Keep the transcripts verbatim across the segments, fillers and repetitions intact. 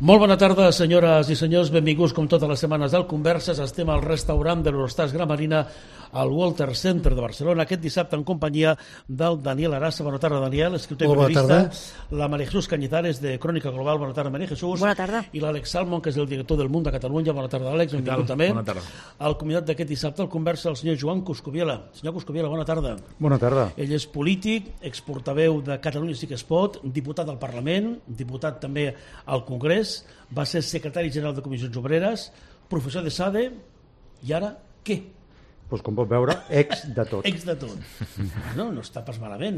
Molt bona tarda, senyores i senyors, benvinguts com totes les setmanes al Converses. Estem al restaurant de l'Eurostars Gran Marina al Walter Center de Barcelona aquest dissabte en companyia del Daniel Arassa. Bona tarda, Daniel, escriptor i periodista. La María Jesús Cañizares de Crónica Global. Bona tarda, María Jesús. Bona tarda. I l'Àlex Salmon, que és el director del Mundo de Catalunya. Bona tarda, Àlex, benvingut també. Bona tarda. El convidat d'aquest dissabte al Conversa, el senyor Joan Coscubiela. Senyor Coscubiela, bona tarda. Bona tarda. Ell és polític, exportaveu de Catalunya Sí que es pot, diputat al Parlament, diputat també al Congrés, va ser secretari general de Comissions Obreres, professor de SADE, i ara què? Pues com pot veure, ex de tot. Ex de tot. No, no està pas malament.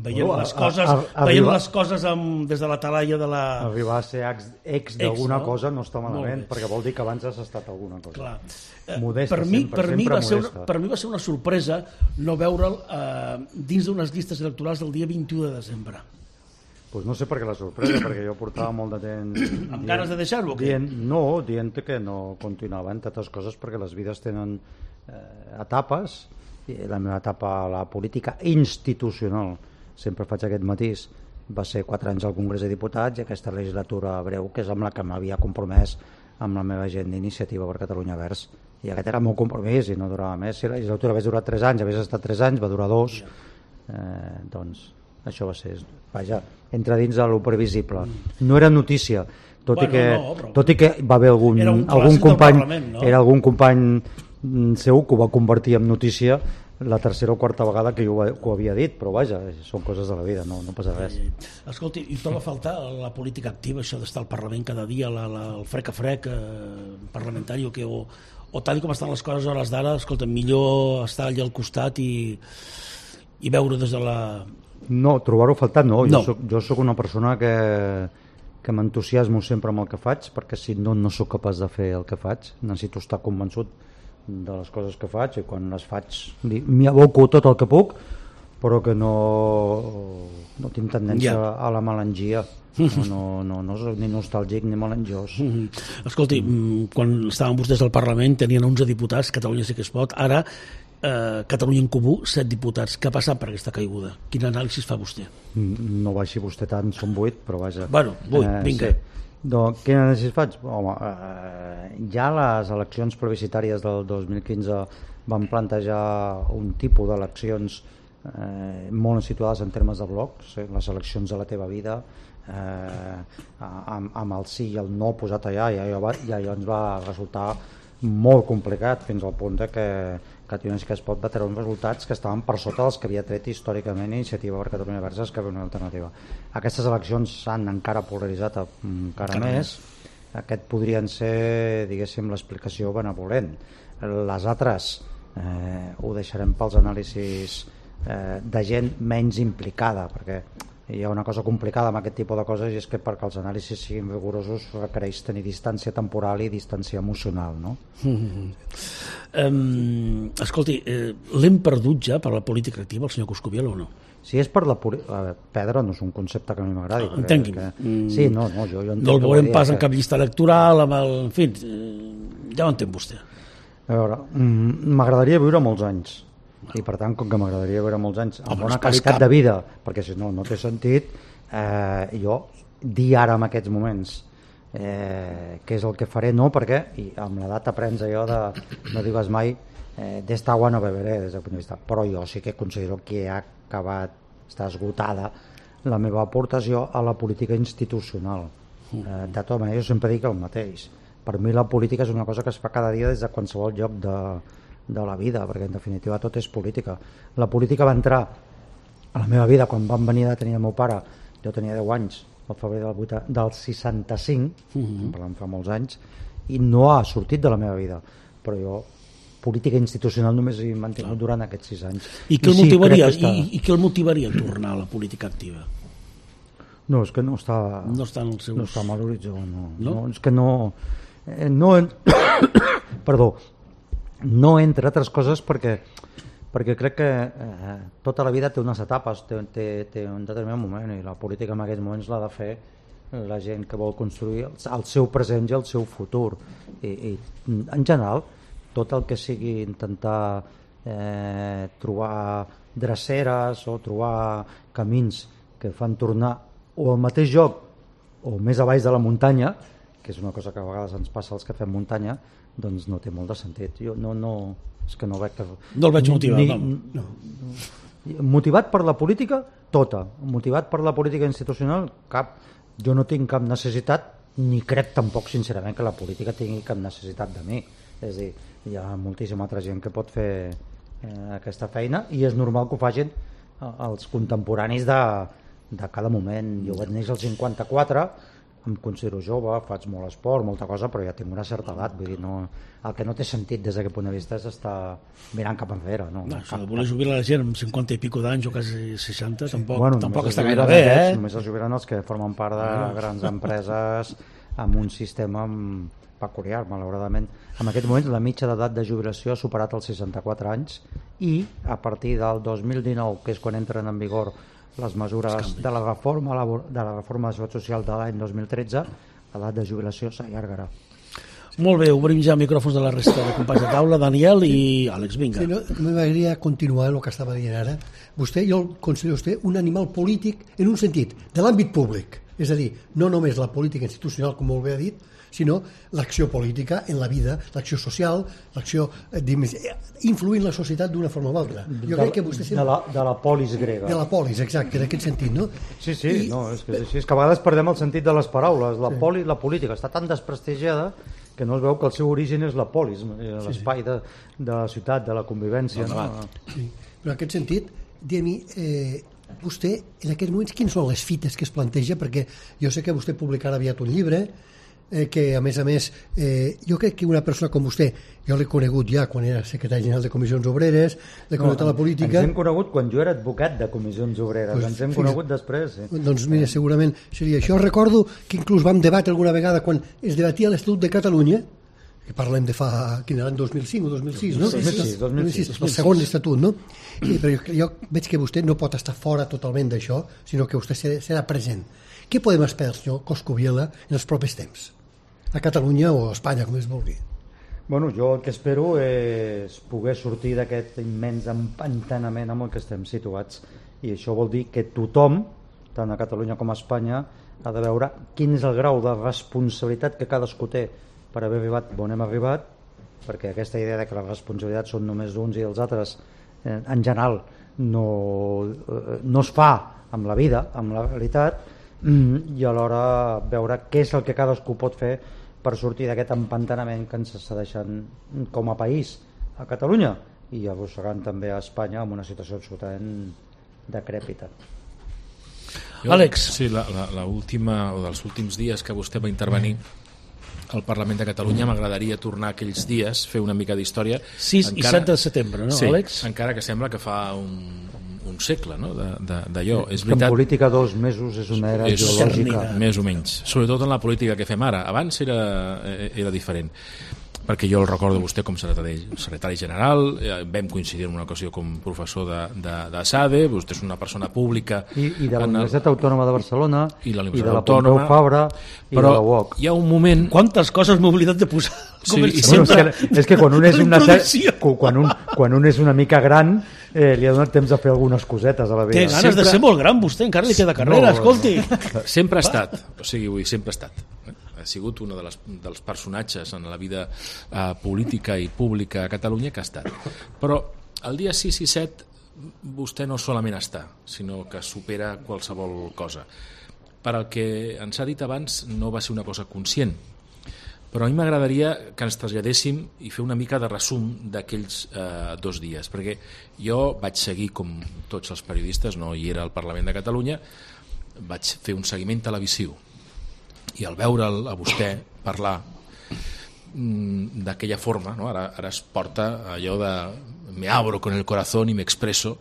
Veient Bueno, les coses, a- a- veient arriba- les coses amb, des de la talaia de la... Arribar a ser ex, ex d'alguna no? cosa no està Molt malament, bé. perquè vol dir que abans has estat alguna cosa. Clar. Eh, Modesta, per mi, sempre, per, mi sempre va ser una, modesta. per mi va ser una sorpresa no veure'l eh, dins d'unes llistes electorals del dia vint-i-u de desembre. Pues no sé per què la sorpresa, perquè jo portava molt de temps... Amb ganes de deixar-ho o què? Dient, no, dient que no continuava, entre altres coses, perquè les vides tenen eh, etapes, i la meva etapa a la política institucional, sempre faig aquest matís, va ser quatre anys al Congrés de Diputats i aquesta legislatura breu, que és amb la que m'havia compromès amb la meva gent d'Iniciativa per Catalunya Verds. I aquest era el meu compromís i no durava més. Si la legislatura hagués durat tres anys, hagués estat tres anys, va durar dos, eh, doncs això va ser, vaja, entra dins de lo previsible. No era notícia, tot, Bueno, i, que, no, però- tot i que va haver algun, Era un algun clàssic del company, Parlament, no? era algun company mm, seu que ho va convertir en notícia la tercera o quarta vegada que jo ho, que ho havia dit, però vaja, són coses de la vida, no, no passa res. Escolti, i troba a faltar la política activa, això d'estar al Parlament cada dia, la, la, el frec a frec eh, parlamentari, o, que, o, o tal com estan les coses a hores d'ara, escolta, millor estar allà al costat i, i veure des de la... No, trobar-ho a faltar no, No. jo soc, jo soc una persona que, que m'entusiasmo sempre amb el que faig, perquè si no, no sóc capaç de fer el que faig, necessito estar convençut de les coses que faig, i quan les faig li- m'hi aboco tot el que puc, però que no, no tinc tendència Ja. a la melangia, no, no, no, no soc ni nostàlgic ni melangiós. Mm. Escolti, mm, quan estaven vostès al Parlament tenien onze diputats, Catalunya Sí que es pot, ara eh, Catalunya en Comú, set diputats. Què ha passat per aquesta caiguda? Quin anàlisi fa vostè? No baixi vostè tant, són vuit, però vaja. Bueno, vuit, vinga. Sí. Doncs, quin anàlisi faig? Home, eh, ja les eleccions plebiscitàries del dos mil quinze van plantejar un tipus d'eleccions eh, molt situades en termes de blocs, eh, les eleccions de la teva vida, eh, amb, amb el sí i el no posat allà, i allò, va, i allò ens va resultar molt complicat, fins al punt de que Catalunya Sí que es pot va treure uns resultats que estaven per sota dels que havia tret històricament Iniciativa per Catalunya Verds, Esquerra Unida i Alternativa. Aquestes eleccions s'han encara polaritzat encara més. Aquest podrien ser, diguéssim, l'explicació benevolent. Les altres eh, ho deixarem pels anàlisis eh, de gent menys implicada, perquè hi ha una cosa complicada amb aquest tipus de coses, i és que perquè els anàlisis siguin rigorosos requereix tenir distància temporal i distància emocional, no? Mm-hmm. Um, escolti, eh, l'hem perdut ja per la política activa, el senyor Coscubiela, o no? Si és per la poli... a veure, perdre no és un concepte que a mi m'agradi. Ah, entengui'm. Que... Mm. Sí, no, no, jo, jo entenc No el que veurem vol dir pas que- en cap llista electoral, amb el... en fi, eh, ja ho entén vostè. A veure, mm, m'agradaria viure molts anys, i per tant, com que m'agradaria viure molts anys amb Home, bona és pas qualitat cap. de vida, perquè si no, no té sentit, eh, jo dir ara en aquests moments eh, què és el que faré, no, perquè i amb l'edat aprens allò de no digues mai eh, d'esta agua no beberé des del punt de vista, però jo sí que considero que ha acabat, està esgotada la meva aportació a la política institucional. Eh, de tota manera, jo sempre dic el mateix, per mi la política és una cosa que es fa cada dia des de qualsevol lloc de, de la vida, perquè en definitiva tot és política. La política va entrar a la meva vida quan van venir a tenir el meu pare, jo tenia deu anys, al febrer del, vuitanta, del seixanta-cinc, Mhm. parlant fa molts anys, i no ha sortit de la meva vida, però jo política institucional només he mantingut durant aquests sis anys. I què el sí, motivaria, crec que està- i, i què el motivaria a tornar a la política activa? No, és que no està, No està en els seus... no està amb l'horitzó, no. No? no. És que no... Eh, no en... Perdó, no entre altres coses perquè perquè crec que eh, tota la vida té unes etapes, té, té, té un determinat moment, i la política en aquests moments l'ha de fer la gent que vol construir el, el seu present i el seu futur, i, i en general tot el que sigui intentar eh, trobar dreceres o trobar camins que fan tornar o al mateix lloc o més a baix de la muntanya, que és una cosa que a vegades ens passa als que fem muntanya, doncs no té molt de sentit. Jo no, no, és que no veig que... No el veig motivat, ni, no. no. Motivat per la política, tota. Motivat per la política institucional, cap. Jo no tinc cap necessitat, ni crec tampoc sincerament que la política tingui cap necessitat de mi. És a dir, hi ha moltíssima altra gent que pot fer eh, aquesta feina i és normal que ho facin els contemporanis de, de cada moment. Jo vaig néixer al cinquanta-quatre, em considero jove, faig molt esport, molta cosa, però ja tinc una certa edat. Vull dir, no, el que no té sentit des d'aquest punt de vista és estar mirant cap enrere. No, no, cap, si voler jubilar la gent amb cinquanta i pico d'anys o quasi seixanta, sí. tampoc, bueno, tampoc està gaire bé. Eh? Només es jubilen els que formen part de bueno. grans empreses amb un sistema peculiar, malauradament. En aquest moment la mitja d'edat de jubilació ha superat els seixanta-quatre anys i a partir del dos mil dinou, que és quan entren en vigor les mesures de la reforma de la reforma de seguretat social de l'any dos mil tretze, l'edat de jubilació s'allargarà. Molt bé, obrim ja micròfons de la resta de companys de taula. Daniel i Àlex, vinga. Sí, no, m'agradaria continuar el que estava dient ara. Vostè, jo el considero vostè un animal polític en un sentit, de l'àmbit públic. És a dir, no només la política institucional, com molt bé ha dit, sinó l'acció política en la vida, l'acció social, l'acció influint la societat d'una forma o altra. Jo de, crec que vostè sempre... de, la, de la polis grega. De la polis, exacte, en aquest sentit, no? Sí, sí, I... no, és, que, és que a vegades perdem el sentit de les paraules. La, sí. poli, la política està tan desprestigiada que no es veu que el seu origen és la polis, l'espai sí, sí. de, de la ciutat, de la convivència. No, no? Sí. Però en aquest sentit, diguem-hi, eh, vostè, en aquests moments, quines són les fites que es planteja? Perquè jo sé que vostè publicarà aviat un llibre, eh, que a més a més, eh, jo crec que una persona com vostè, jo l'he conegut ja quan era secretari general de Comissions Obreres, l'he conegut no, a la política... Ens hem conegut quan jo era advocat de Comissions Obreres, pues, ens hem fíjate, conegut després. Sí. Doncs mira, segurament seria això. Recordo que inclús vam debatre alguna vegada quan es debatia l'Estatut de Catalunya, que parlem de fa, quin era, dos mil cinc o dos mil sis, no? dos mil sis, dos mil sis, el segon estatut, no? I, però jo, jo veig que vostè no pot estar fora totalment d'això, sinó que vostè serà present. Què podem esperar, senyor Coscubiela, en els propers temps? A Catalunya o a Espanya, com es vulgui? Bueno, jo el que espero és poder sortir d'aquest immens empantanament amb el que estem situats, i això vol dir que tothom, tant a Catalunya com a Espanya, ha de veure quin és el grau de responsabilitat que cadascú té per haver arribat on hem arribat, perquè aquesta idea de que les responsabilitats són només d'uns i els altres, eh, en general no, eh, no es fa amb la vida, amb la realitat, mm, i alhora veure què és el que cadascú pot fer per sortir d'aquest empantanament que ens està deixant com a país a Catalunya i arrossegant també a Espanya amb una situació absolutament decrèpita. Jo, Àlex. Sí, la, la, la última, o dels últims dies que vostè va intervenir al Parlament de Catalunya, m'agradaria tornar a aquells dies, fer una mica d'història. sis encara, i set de setembre, no, sí, Àlex? Encara que sembla que fa un, un segle, no?, d'allò. És veritat, en política dos mesos és una era és geològica. Més o menys. Sobretot en la política que fem ara. Abans era, era diferent. Perquè jo el recordo vostè com secretari, secretari general, eh, vam coincidir en una ocasió com professor de, de, de SADE, vostè és una persona pública... I, i de la Universitat el... Autònoma de Barcelona, i, la i de la Pompeu Fabra, i però de la U O C. Hi ha un moment... Quantes coses m'he oblidat de posar? Sí, i bueno, és, que, és que quan un és una, quan un, quan un és una mica gran eh, li ha donat temps a fer algunes cosetes a la vida. Té ganes sempre... de ser molt gran, vostè, encara li queda carrera, no, escolti. Sempre ha estat, o sigui, vull dir, sempre ha estat. Ha sigut un de les, dels personatges en la vida eh, política i pública a Catalunya que ha estat. Però el dia sis i set vostè no solament està, sinó que supera qualsevol cosa. Per al que ens ha dit abans no va ser una cosa conscient, però a mi m'agradaria que ens traslladéssim i fer una mica de resum d'aquells eh, dos dies, perquè jo vaig seguir, com tots els periodistes, no hi era al Parlament de Catalunya, vaig fer un seguiment televisiu, i al veure'l a vostè parlar mmm, d'aquella forma, no? ara, ara es porta allò de me abro con el corazón y me expreso,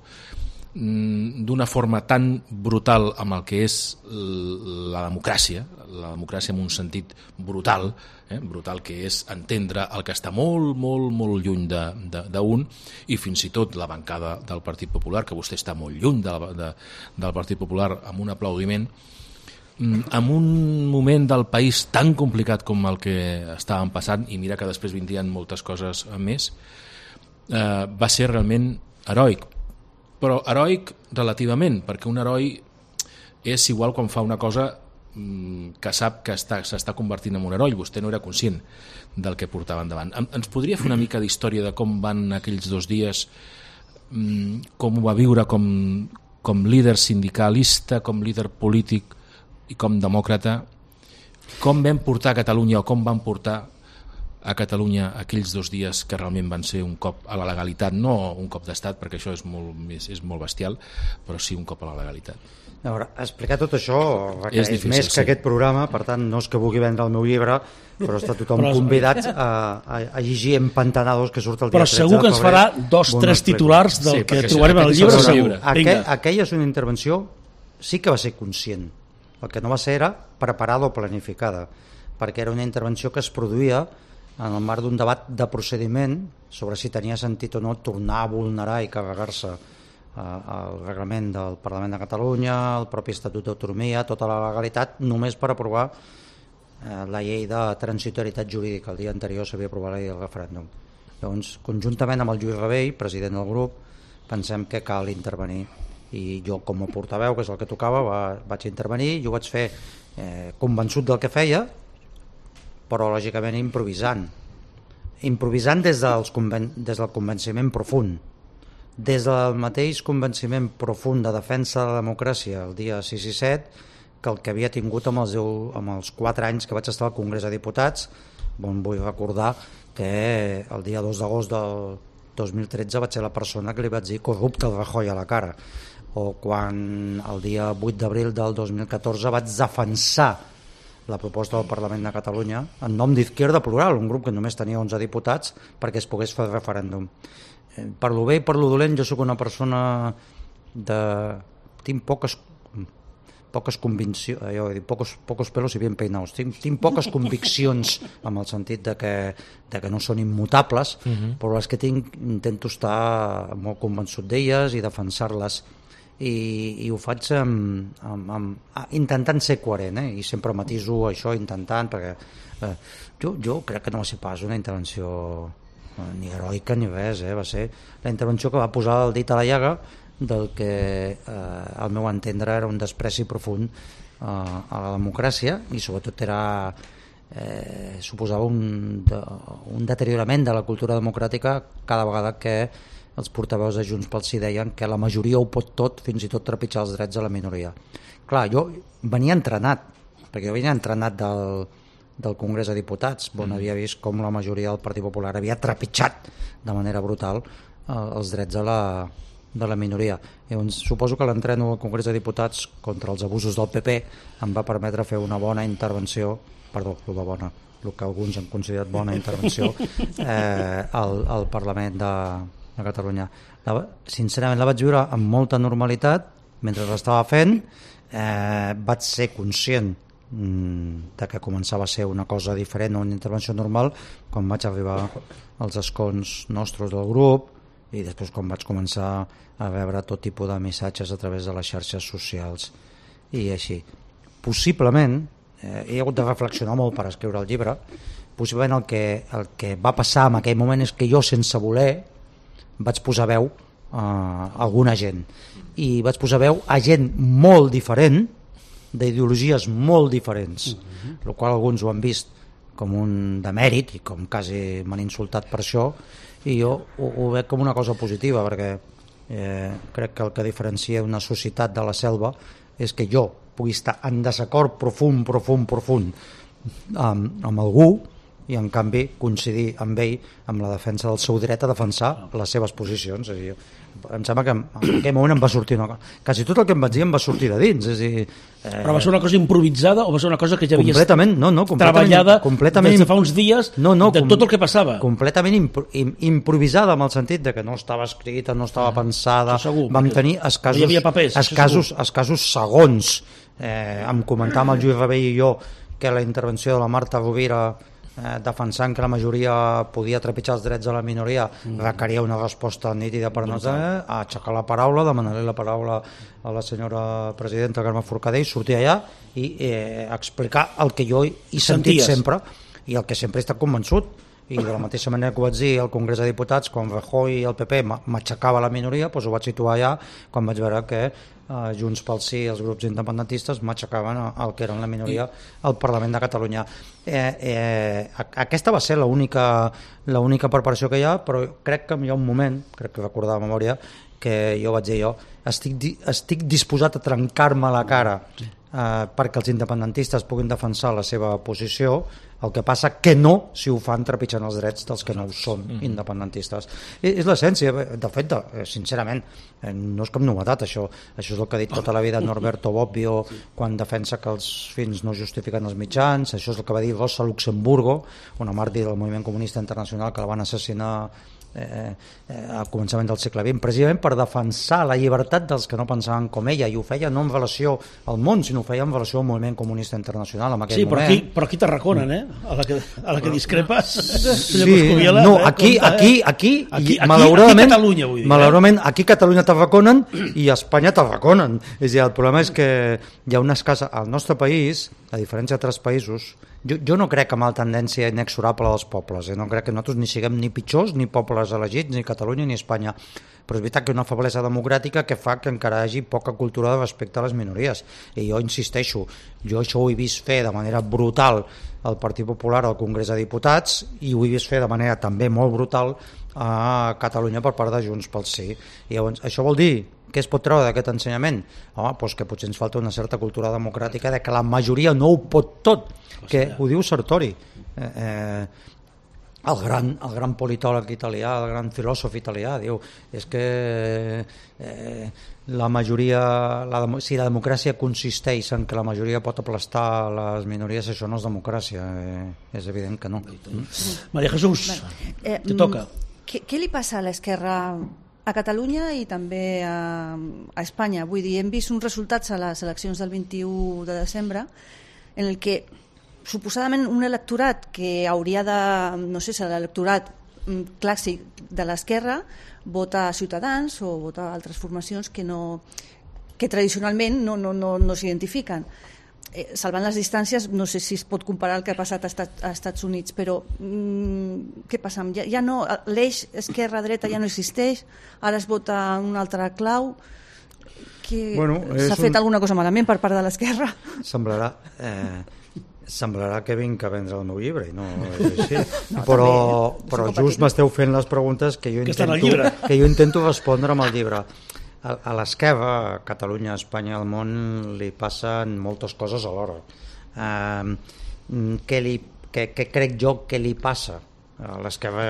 mmm, d'una forma tan brutal amb el que és la democràcia, la democràcia en un sentit brutal, eh? brutal que és entendre el que està molt, molt, molt lluny d'un, i fins i tot la bancada del Partit Popular, que vostè està molt lluny de, de, del Partit Popular, amb un aplaudiment, en un moment del país tan complicat com el que estàvem passant, i mira que després vindrien moltes coses més, eh, va ser realment heroic. Però heroic relativament, perquè un heroi és igual quan fa una cosa que sap que està, s'està convertint en un heroi. Vostè no era conscient del que portava endavant. Ens podria fer una mica d'història de com van aquells dos dies, com ho va viure com, com líder sindicalista, com líder polític i com demòcrata? Com vam portar a Catalunya o com van portar a Catalunya aquells dos dies que realment van ser un cop a la legalitat, no un cop d'estat, perquè això és molt, és, és molt bestial, però sí un cop a la legalitat. A veure, explicar tot això requereix difícil, més que sí. aquest programa, per tant no és que vulgui vendre el meu llibre, però està tothom però, convidat a, a, a llegir Empantanados, que surt el dia però tretze de segur que ens farà dos, bon, tres titulars del sí, que sí, trobarem al llibre, segur. segur. Aquell, aquella és una intervenció, sí que va ser conscient, el que no va ser era preparada o planificada, perquè era una intervenció que es produïa en el marc d'un debat de procediment sobre si tenia sentit o no tornar a vulnerar i carregar-se eh, el reglament del Parlament de Catalunya, el propi Estatut d'Autonomia, tota la legalitat, només per aprovar eh, la llei de transitorietat jurídica. El dia anterior s'havia aprovat la llei del referèndum. Llavors, conjuntament amb el Lluís Rabell, president del grup, pensem que cal intervenir. I jo, com a portaveu, que és el que tocava, va, vaig intervenir i ho vaig fer eh, convençut del que feia, però lògicament improvisant improvisant des, dels conven... des del convenciment profund, des del mateix convenciment profund de defensa de la democràcia el dia sis i set que el que havia tingut amb els, amb els quatre anys que vaig estar al Congrés de Diputats, on vull recordar que el dia dos d'agost del dos mil tretze vaig ser la persona que li vaig dir corrupte al Rajoy a la cara, o quan el dia vuit d'abril del dos mil catorze vaig defensar la proposta del Parlament de Catalunya en nom d'Izquierda Plural, un grup que només tenia onze diputats perquè es pogués fer el referèndum. Per lo bé i per lo dolent, jo sóc una persona de... tinc poques poques conviccions, jo he dit, pocos, pocos pelos i bien peinados, tinc, tinc poques conviccions amb el sentit de que, de que no són immutables, uh-huh. però les que tinc intento estar molt convençut d'elles i defensar-les. I, i ho faig amb, amb, amb, intentant ser coherent, eh? I sempre matiso això intentant, perquè eh, jo, jo crec que no va ser pas una intervenció eh, ni heroica ni res, eh? Va ser la intervenció que va posar el dit a la llaga del que eh, al meu entendre era un despreci profund eh, a la democràcia i sobretot era eh, suposava un, de, un deteriorament de la cultura democràtica cada vegada que els portaveus de Junts pel Sí deien que la majoria ho pot tot, fins i tot trepitjar els drets de la minoria. Clar, jo venia entrenat, perquè jo venia entrenat del, del Congrés de Diputats, on mm. havia vist com la majoria del Partit Popular havia trepitjat de manera brutal eh, els drets de la, de la minoria. Llavors, suposo que l'entreno al Congrés de Diputats contra els abusos del P P em va permetre fer una bona intervenció, perdó, el de bona, el que alguns han considerat bona intervenció, eh, al, al Parlament de a Catalunya. La, sincerament la vaig viure amb molta normalitat mentre l'estava fent, eh, vaig ser conscient mm, de que començava a ser una cosa diferent o una intervenció normal quan vaig arribar als escons nostres del grup i després quan vaig començar a veure tot tipus de missatges a través de les xarxes socials i així. Possiblement eh, he hagut de reflexionar molt per escriure el llibre, possiblement el que, el que va passar en aquell moment és que jo sense voler vaig posar veu a alguna gent i vaig posar veu a gent molt diferent, d'ideologies molt diferents, uh-huh. el qual alguns ho han vist com un demèrit i com quasi m'han insultat per això i jo ho, ho veig com una cosa positiva perquè eh, crec que el que diferencia una societat de la selva és que jo pugui estar en desacord profund, profund, profund amb, amb algú i en canvi coincidir amb ell amb la defensa del seu dret a defensar les seves posicions. És a dir, em sembla que en aquell moment em va sortir una cosa. Quasi tot el que em vaig dir em va sortir de dins. És a dir, eh... Però va ser una cosa improvisada o va ser una cosa que ja havies completament, no, no, completament, treballada completament, des de fa uns dies no, no, de com, tot el que passava? Completament impro, im, improvisada amb el sentit de que no estava escrita, no estava ah, pensada. Segur, vam tenir escassos, no papers, escassos, escassos segons. Eh, em comentava el Lluís Rabell i jo que la intervenció de la Marta Rovira Eh, defensant que la majoria podia trepitjar els drets de la minoria mm. requeria una resposta nítida per nosaltres, a aixecar la paraula, demanar-li la paraula a la senyora presidenta Carme Forcadell, sortir allà i eh, explicar el que jo he sentit Senties. sempre i el que sempre he estat convençut i de la mateixa manera que ho vaig dir al Congrés de Diputats quan Rajoy i el P P m'aixecava la minoria, doncs ho vaig situar allà quan vaig veure que eh, Junts pel Sí i els grups independentistes m'aixecaven el que eren la minoria al Parlament de Catalunya. Eh, eh, aquesta va ser l'única l'única preparació que hi ha, però crec que hi ha un moment, crec que recordar de memòria, que jo vaig dir jo, estic, estic disposat a trencar-me la cara eh, perquè els independentistes puguin defensar la seva posició, el que passa que no si ho fan trepitjant els drets dels que no ho són independentistes. I, és l'essència, de fet, sincerament, no és cap novetat això, això és el que ha dit tota la vida Norberto Bobbio quan defensa que els fins no justifiquen els mitjans, això és el que va dir Rosa Luxemburgo, una màrtir del moviment comunista internacional que la van assassinar Eh, eh, al començament del segle vint, precisament per defensar la llibertat dels que no pensaven com ella, i ho feia no en relació al món, sinó ho feia en relació al moviment comunista internacional en aquell sí, però moment. Aquí, però aquí t'arraconen, eh? A la que, a la que discrepes. Sí, no, aquí, aquí, aquí, aquí, malauradament, aquí Catalunya, vull dir. Malauradament, aquí Catalunya t'arraconen i a Espanya t'arraconen. És a dir, el problema és que hi ha una escassa... Al nostre país, a diferència d'altres països, Jo, jo no crec en la tendència inexorable dels pobles, eh? No crec que nosaltres ni siguem ni pitjors ni pobles elegits, ni Catalunya ni Espanya, però és veritat que una feblesa democràtica que fa que encara hi hagi poca cultura de respecte a les minories, i jo insisteixo, jo això ho he vist fer de manera brutal al Partit Popular al Congrés de Diputats i ho he vist fer de manera també molt brutal a Catalunya per part de Junts pel Sí. I llavors, això vol dir què es pot treure d'aquest ensenyament? Home, doncs que potser ens falta una certa cultura democràtica de que la majoria no ho pot tot, que ho diu Sartori, eh, eh, el, gran, el gran politòleg italià, el gran filòsof italià, diu, és que eh, la majoria, la, si la democràcia consisteix en que la majoria pot aplastar les minories, això no és democràcia, eh, és evident que no. Maria Jesús, eh, te toca. Què, què li passa a l'esquerra a Catalunya i també a, a Espanya? Vull dir, hem vist uns resultats a les eleccions del vint-i-u de desembre en el que suposadament un electorat que hauria de, no sé, ser l'electorat clàssic de l'esquerra vota a Ciutadans o vota a altres formacions que, no, que tradicionalment no, no, no, no s'identifiquen. Eh, salvant les distàncies, no sé si es pot comparar el que ha passat a, Estat, a Estats Units, però mm, què passa? Ja, ja no, l'eix esquerra-dreta ja no existeix, ara es vota un altre clau. Que bueno, s'ha fet un... alguna cosa malament per part de l'esquerra? Semblarà... Eh... semblarà que vinc a vendre el meu llibre i no és així, no, però, també, però just m'esteu fent les preguntes que jo, que intento, que jo intento respondre amb el llibre. A, a l'esquerra, a Catalunya, a Espanya, al món li passen moltes coses alhora. Eh, què, li, què, què crec jo que li passa a l'esquerra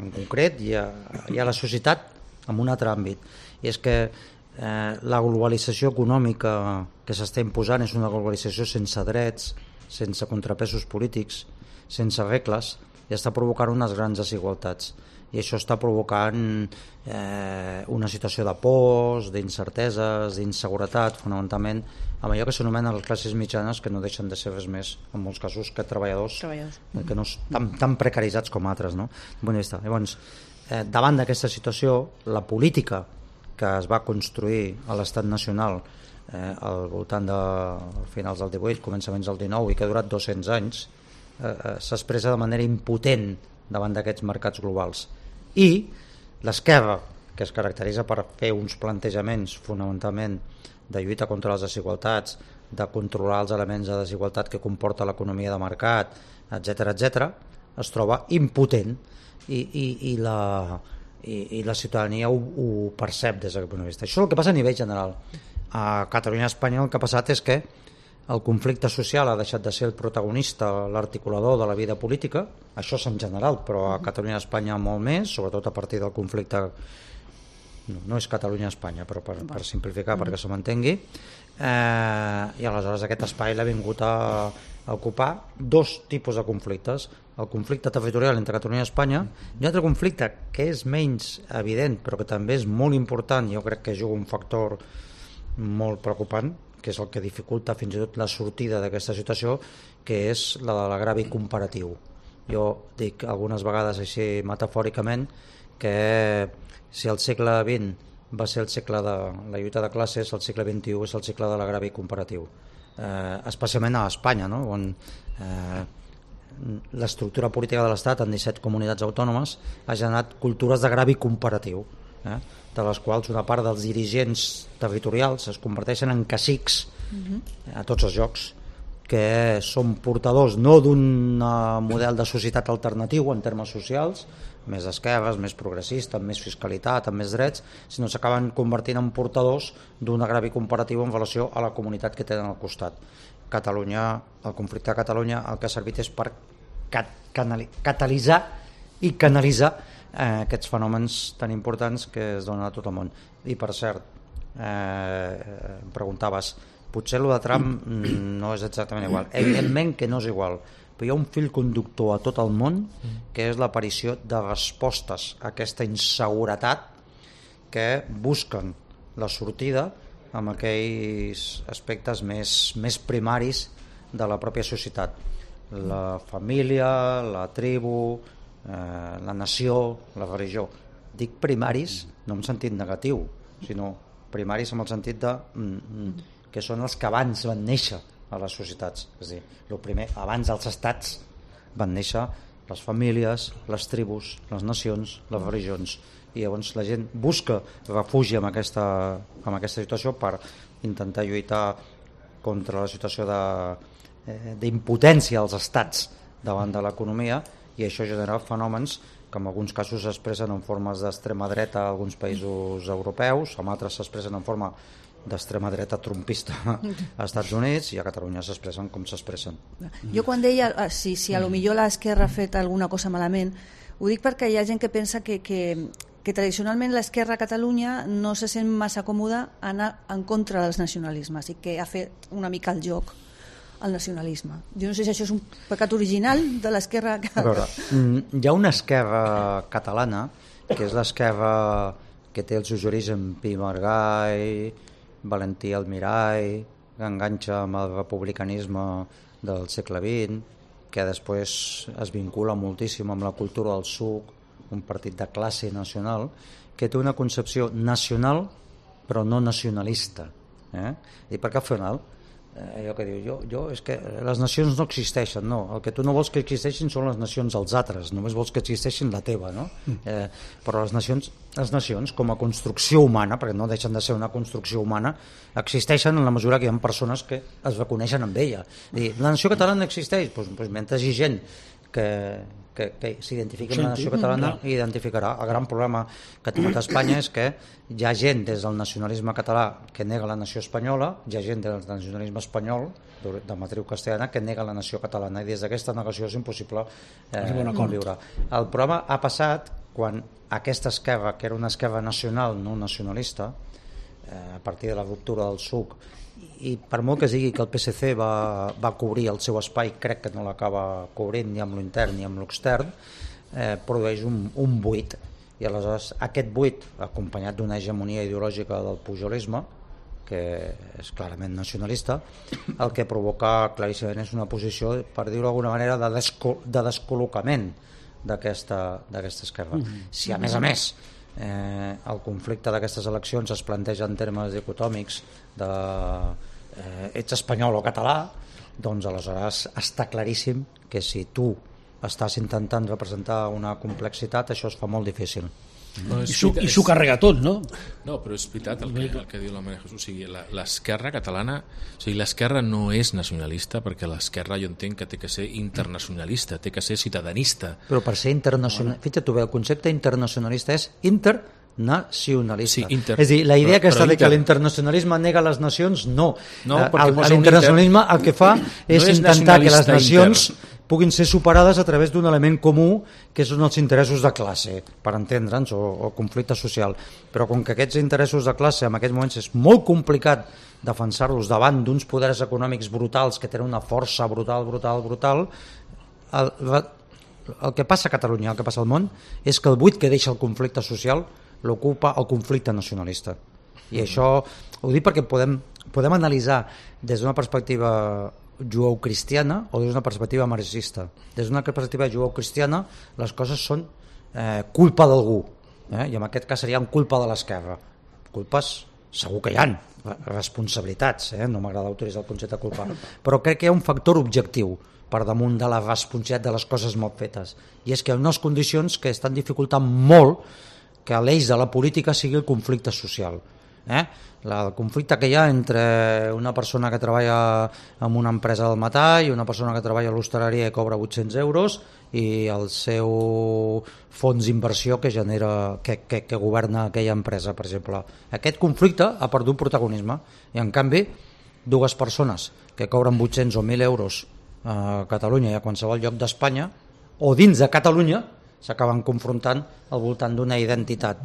en concret i a, i a la societat en un altre àmbit? I és que eh, la globalització econòmica que s'està imposant és una globalització sense drets, sense contrapesos polítics, sense regles, i està provocant unes grans desigualtats. I això està provocant eh, una situació de pors, d'incerteses, d'inseguretat, fonamentalment, amb allò que s'anomenen les classes mitjanes, que no deixen de ser res més, en molts casos, que treballadors, treballadors. que no tan, tan precaritzats com altres. No? Llavors, eh, davant d'aquesta situació, la política que es va construir a l'estat nacional Eh, al voltant de finals del divuit, començaments del dinou i que ha durat dos-cents anys, eh, eh, s'expressa de manera impotent davant d'aquests mercats globals. I l'esquerra, que es caracteritza per fer uns plantejaments fonamentalment de lluita contra les desigualtats, de controlar els elements de desigualtat que comporta l'economia de mercat, etcètera, etcètera, es troba impotent i, i, i, la, i, i la ciutadania ho, ho percep des d'aquest punt de vista. Això és el que passa a nivell general. A Catalunya i Espanya el que ha passat és que el conflicte social ha deixat de ser el protagonista, l'articulador de la vida política, això és en general, però a Catalunya i Espanya molt més, sobretot a partir del conflicte, no, no és Catalunya-Espanya, però per, per simplificar, mm. perquè se m'entengui, eh, i aleshores aquest espai l'ha vingut a, a ocupar dos tipus de conflictes, el conflicte territorial entre Catalunya i Espanya, i un altre conflicte que és menys evident, però que també és molt important, jo crec que juga un factor molt preocupant, que és el que dificulta fins i tot la sortida d'aquesta situació, que és la de l'agravi comparatiu. Jo dic algunes vegades així metafòricament que si el segle vint va ser el segle de la lluita de classes, el segle vint-i-u és el segle de l'agravi comparatiu, eh, especialment a Espanya, no? On eh, l'estructura política de l'Estat en disset comunitats autònomes ha generat cultures de gravi comparatiu, eh? de les quals una part dels dirigents territorials es converteixen en cacics uh-huh. a tots els jocs, que són portadors no d'un model de societat alternatiu en termes socials, més d'esquerres, més progressista, amb més fiscalitat, amb més drets, sinó s'acaben convertint en portadors d'un agravi comparatiu en relació a la comunitat que tenen al costat. Catalunya, el conflicte de Catalunya el que ha servit és per cat catalitzar i canalitzar eh, aquests fenòmens tan importants que es donen a tot el món. I per cert, eh, em preguntaves, potser el de Trump no és exactament igual. Evidentment que no és igual, però hi ha un fil conductor a tot el món que és l'aparició de respostes a aquesta inseguretat que busquen la sortida amb aquells aspectes més, més primaris de la pròpia societat. La família, la tribu, eh, la nació, la religió. Dic primaris no en sentit negatiu, sinó primaris en el sentit de mm, que són els que abans van néixer a les societats. És a dir, el primer, abans dels estats van néixer les famílies, les tribus, les nacions, les religions, i llavors la gent busca refugi en aquesta, en aquesta situació per intentar lluitar contra la situació de, eh, d'impotència dels estats davant de l'economia, i això genera fenòmens que en alguns casos s'expressen en formes d'extrema dreta a alguns països europeus, en altres s'expressen en forma d'extrema dreta trumpista als Estats Units, i a Catalunya s'expressen com s'expressen. Jo quan deia si, si a lo millor l'esquerra ha fet alguna cosa malament, ho dic perquè hi ha gent que pensa que, que, que tradicionalment l'esquerra a Catalunya no se sent massa còmoda anar en contra dels nacionalismes i que ha fet una mica el joc al nacionalisme. Jo no sé si això és un pecat original de l'esquerra. A veure, hi ha una esquerra catalana que és l'esquerra que té els seus orígens Pi i Margall, Valentí Almirall, que enganxa amb el republicanisme del segle vint, que després es vincula moltíssim amb la cultura del suc, un partit de classe nacional, que té una concepció nacional però no nacionalista. Eh? I perquè al final, eh, allò que diu, jo, jo, és que les nacions no existeixen, no, el que tu no vols que existeixin són les nacions dels altres, només vols que existeixin la teva, no? Eh, però les nacions, les nacions com a construcció humana, perquè no deixen de ser una construcció humana, existeixen en la mesura que hi ha persones que es reconeixen amb ella. I la nació catalana existeix, doncs, doncs mentre hi ha gent que, que, que s'identifica amb la nació catalana, i identificarà. El gran problema que ha tingut Espanya és que hi ha gent des del nacionalisme català que nega la nació espanyola, hi ha gent del nacionalisme espanyol de matriu castellana que nega la nació catalana, i des d'aquesta negació és impossible eh, conviure. El problema ha passat quan aquesta esquerra, que era una esquerra nacional, no nacionalista, eh, a partir de la ruptura del suc, i per molt que es digui que el P S C va, va cobrir el seu espai, crec que no l'acaba cobrint ni amb l'intern ni amb l'extern, eh, produeix un, un buit, i aleshores aquest buit, acompanyat d'una hegemonia ideològica del pujolisme, que és clarament nacionalista, el que provoca claríssimament és una posició, per dir-ho d'alguna manera, de, desco de descol·locament d'aquesta esquerra. Si a més a més eh, el conflicte d'aquestes eleccions es planteja en termes dicotòmics de eh, ets espanyol o català, doncs aleshores està claríssim que si tu estàs intentant representar una complexitat, això es fa molt difícil. No, I s'ho carrega tot, no? No, però és veritat el que, el que diu la Maria Jesús. O sigui, l'esquerra catalana, o sigui, l'esquerra no és nacionalista, perquè l'esquerra jo entenc que té que ser internacionalista, té que ser ciutadanista. Però per ser internacionalista, fixa't tu bé, el concepte internacionalista és internacionalista. Sí, inter... És a dir, la idea però, aquesta però de que l'internacionalisme nega les nacions, no. No, l'internacionalisme el que fa és, no és intentar que les nacions inter. puguin ser superades a través d'un element comú, que són els interessos de classe, per entendre'ns, o, o conflicte social. Però com que aquests interessos de classe en aquests moments és molt complicat defensar-los davant d'uns poders econòmics brutals que tenen una força brutal, brutal, brutal, el, el que passa a Catalunya, el que passa al món, és que el buit que deixa el conflicte social l'ocupa el conflicte nacionalista. I això ho dic perquè podem, podem analitzar des d'una perspectiva jueu-cristiana o des d'una perspectiva marxista. Des d'una perspectiva jueu-cristiana les coses són eh, culpa d'algú, eh? I en aquest cas serien culpa de l'esquerra. Culpes segur que hi ha, responsabilitats, eh? No m'agrada utilitzar el concepte de culpa, però crec que hi ha un factor objectiu per damunt de la responsabilitat de les coses mal fetes. I és que hi ha unes condicions que estan dificultant molt que l'eix de la política sigui el conflicte social. Eh? El conflicte que hi ha entre una persona que treballa en una empresa del metall i una persona que treballa a l'hostaleria i cobra vuit-cents euros i el seu fons d'inversió que genera que, que, que governa aquella empresa, per exemple. Aquest conflicte ha perdut protagonisme i en canvi dues persones que cobren vuit-cents o mil euros a Catalunya i a qualsevol lloc d'Espanya o dins de Catalunya s'acaben confrontant al voltant d'una identitat,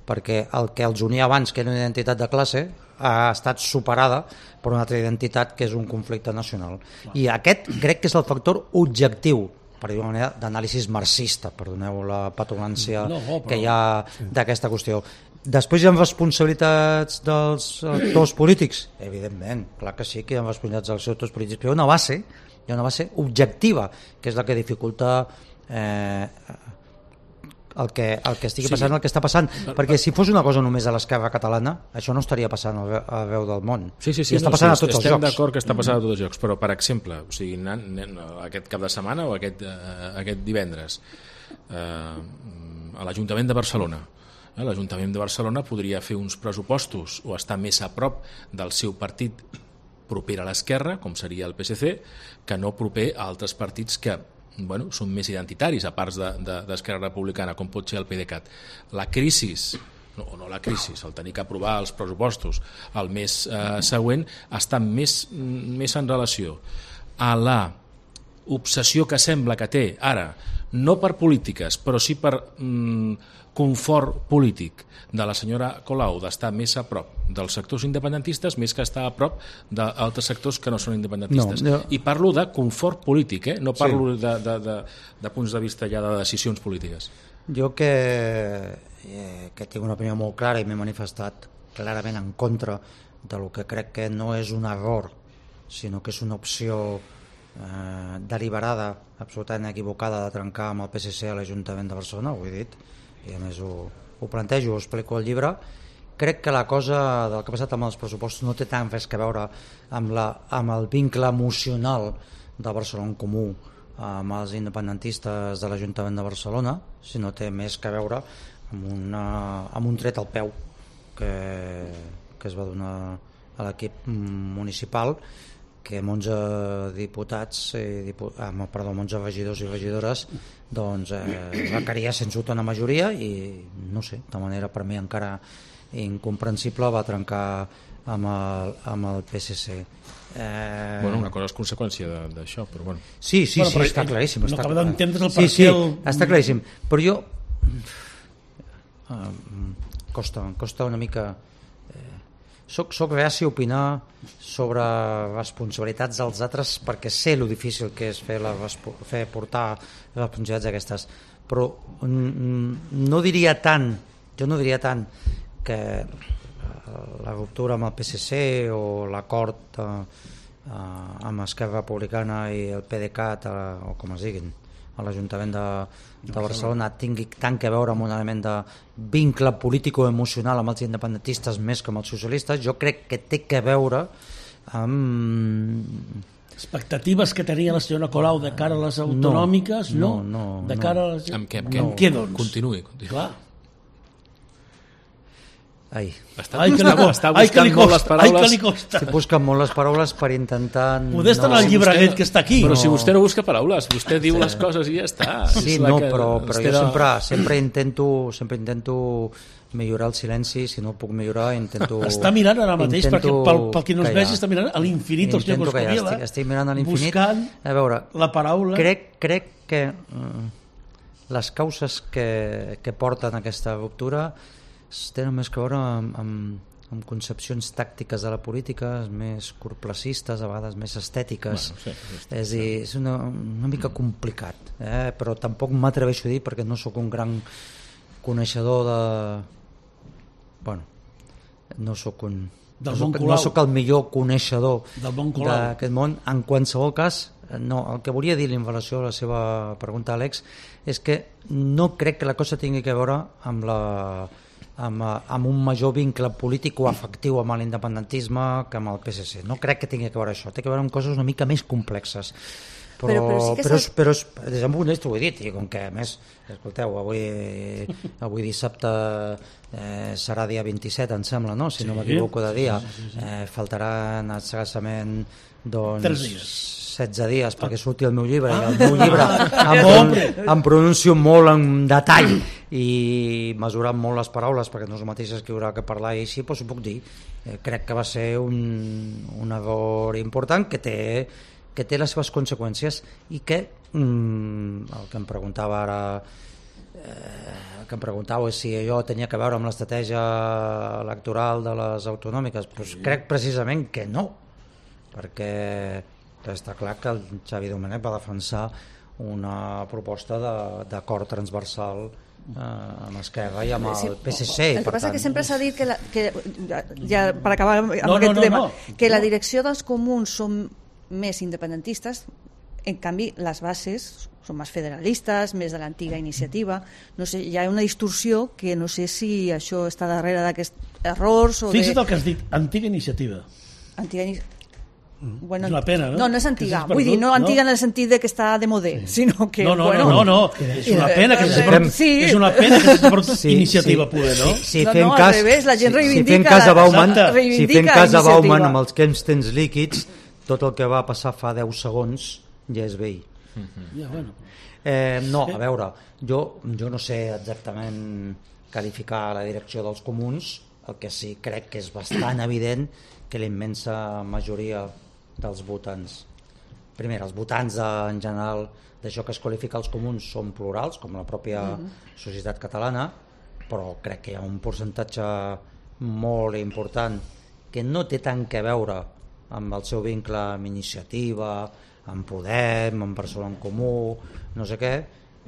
perquè el que els unia abans, que era una identitat de classe, ha estat superada per una altra identitat que és un conflicte nacional. I aquest crec que és el factor objectiu, per dir-ho d'una manera, d'anàlisi marxista, perdoneu la petulància no, no, però... que hi ha d'aquesta qüestió. Després hi ha responsabilitats dels actors polítics? Evidentment, clar que sí que hi ha responsabilitats dels actors polítics, però hi ha una base, hi ha una base objectiva, que és la que dificulta eh, el que, el que estigui passant, sí. el que està passant, perquè si fos una cosa només a l'esquerra catalana, això no estaria passant arreu del món. Sí, sí, sí, I està no, passant sí, a tots els estem jocs. Estem d'acord que està passant a tots els jocs, però per exemple, o sigui, aquest cap de setmana o aquest, uh, aquest divendres uh, a l'Ajuntament de Barcelona, eh, l'Ajuntament de Barcelona podria fer uns pressupostos o estar més a prop del seu partit proper a l'esquerra, com seria el P S C, que no proper a altres partits que bueno, són més identitaris, a part d'Esquerra de, de, Republicana, com pot ser el PDeCAT. La crisi, no, no la crisi, el tenir que aprovar els pressupostos el mes eh, següent, està més, més en relació a la obsessió que sembla que té ara, no per polítiques, però sí per mm, confort polític de la senyora Colau d'estar més a prop dels sectors independentistes més que estar a prop d'altres sectors que no són independentistes. No, no. I parlo de confort polític, eh? No parlo sí. de, de, de, de punts de vista ja de decisions polítiques. Jo que, eh, que tinc una opinió molt clara i m'he manifestat clarament en contra de lo que crec que no és un error, sinó que és una opció eh, deliberada, absolutament equivocada de trencar amb el P S C a l'Ajuntament de Barcelona, ho he dit, i a més ho, ho plantejo, ho explico al llibre. Crec que la cosa del que ha passat amb els pressupostos no té tant res que veure amb, la, amb el vincle emocional de Barcelona en Comú amb els independentistes de l'Ajuntament de Barcelona, sinó té més que veure amb, una, amb un tret al peu que, que es va donar a l'equip municipal, que onze diputats, eh, dipu ah, perdó, onze regidors i regidores doncs eh, requeria sense dubte una majoria i no sé, de manera per mi encara incomprensible va trencar amb el, amb el P S C. Eh... Bueno, una cosa és conseqüència d'això, però bueno. Sí, sí, bueno, sí, està claríssim. No està acaba d'entendre el sí, sí, el... està claríssim. Però jo uh, costa, costa una mica Soc, soc reaci a opinar sobre responsabilitats dels altres perquè sé lo difícil que és fer, la, fer portar responsabilitats aquestes, però no diria tant, jo no diria tant que la ruptura amb el P S C o l'acord eh, amb Esquerra Republicana i el PDeCAT eh, o com es diguin a l'Ajuntament de, de Barcelona tingui tant que veure amb un element de vincle político-emocional amb els independentistes més que amb els socialistes. Jo crec que té que veure amb... Expectatives que tenia la senyora Colau de cara a les autonòmiques, no? No, no, no de cara a les... Amb què? Amb què? No. Què, doncs? Continuï, continuï. Clar. Ai. Està, ai, que li costa, ai, que li costa, les paraules. Ai, que li costa. Estic buscant molt les paraules per intentar... Poder estar no... en el llibreguet que està aquí. Però no. si vostè no busca paraules, vostè diu sí. les coses i ja està. Sí, no, que... però, però jo sempre, sempre, intento, sempre intento millorar el silenci, si no ho puc millorar intento... Està mirant ara mateix, intento... perquè pel, pel que no es vegi, està mirant a l'infinit el senyor Coscubiela. Estic, estic mirant a l'infinit. Buscant a veure, la paraula. Crec, crec que uh, les causes que, que porten a aquesta ruptura tenen més que veure amb, amb, amb concepcions tàctiques de la política més corplacistes, a vegades més estètiques. Bueno, sí, sí, sí. És, dir, és una, una mica complicat, eh? Però tampoc m'atreveixo a dir perquè no sóc un gran coneixedor de... Bueno, no sóc un... Del no, soc, món no sóc el millor coneixedor d'aquest món. En qualsevol cas, no, el que volia dir en relació a la seva pregunta, Àlex, és que no crec que la cosa tingui que veure amb la... Amb, amb un major vincle polític o afectiu amb l'independentisme que amb el P S C. No crec que tingui que veure això, té que veure amb coses una mica més complexes. Però, però, però, sí que però, s'ha- però, però des d'un punt de vista ho he dit, i com que a més, escolteu, avui, avui dissabte eh, serà dia vint-i-set, em sembla, no? Si Sí. no m'equivoco de dia, eh, faltaran escassament doncs, Tres dies. setze dies perquè surti el meu llibre, i el meu llibre em, pron em pronuncio molt en detall i mesurant molt les paraules perquè no és el mateix escriure que parlar, i així doncs ho puc dir. Eh, crec que va ser un, un error important que té, que té les seves conseqüències i que mm, el que em preguntava ara eh, el que em preguntàveu és si allò tenia que veure amb l'estratègia electoral de les autonòmiques. Pues crec precisament que no, perquè està clar que el Xavi Domènech va defensar una proposta d'acord transversal eh, amb Esquerra i amb el P S C. El que per passa tant, que sempre s'ha dit que, la, que ja per acabar amb No, aquest no, no, tema, no. que la direcció dels comuns són més independentistes, en canvi les bases són més federalistes, més de l'antiga iniciativa. No sé, hi ha una distorsió que no sé si això està darrere d'aquests errors o Fixa't de... el que has dit, antiga iniciativa. Antiga iniciativa. Bueno, És una pena, no? No, no és Que antiga. s'has Vull dir, no perdut, antiga no? en el sentit de que està de modé, sinó que... No, no, bueno, no, no, no, és una pena que s'hagi Eh, perdut, sí. és una pena que s'hagi perdut Sí, iniciativa sí, pura, no? Sí, sí, No, fent no, al cas, revés, la gent si- reivindica si fent cas a la- Bauman, Exacte. si reivindica fent cas a iniciativa. Bauman amb els temps temps líquids, tot el que va passar fa deu segons ja és vell. Ja, bueno. Eh, no, a veure, jo, jo no sé exactament qualificar la direcció dels comuns, el que sí crec que és bastant evident que la immensa majoria dels votants, primer, els votants de, en general d'això que es qualifica els comuns són plurals, com la pròpia societat catalana, però crec que hi ha un percentatge molt important que no té tant que veure amb el seu vincle amb Iniciativa, amb Podem, amb Barcelona en Comú, no sé què,